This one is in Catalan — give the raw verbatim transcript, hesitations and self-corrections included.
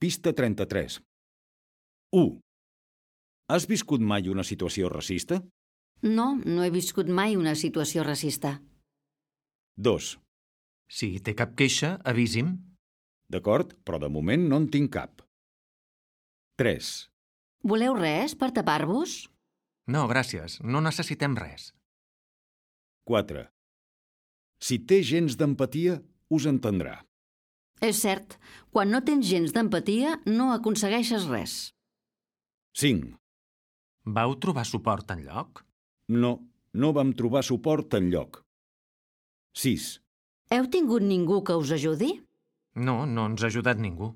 Pista trenta-tres. u. Has viscut mai una situació racista? No, no he viscut mai una situació racista. dos. Si té cap queixa, avisi'm. D'acord, però de moment no en tinc cap. tres. Voleu res per tapar-vos? No, gràcies, no necessitem res. quatre. Si té gens d'empatia, us entendrà. És cert, quan no tens gens d'empatia no aconsegueixes res. cinc. Vau trobar suport enlloc? No, no vam trobar suport enlloc. sis. Heu tingut ningú que us ajudi? No, no ens ha ajudat ningú.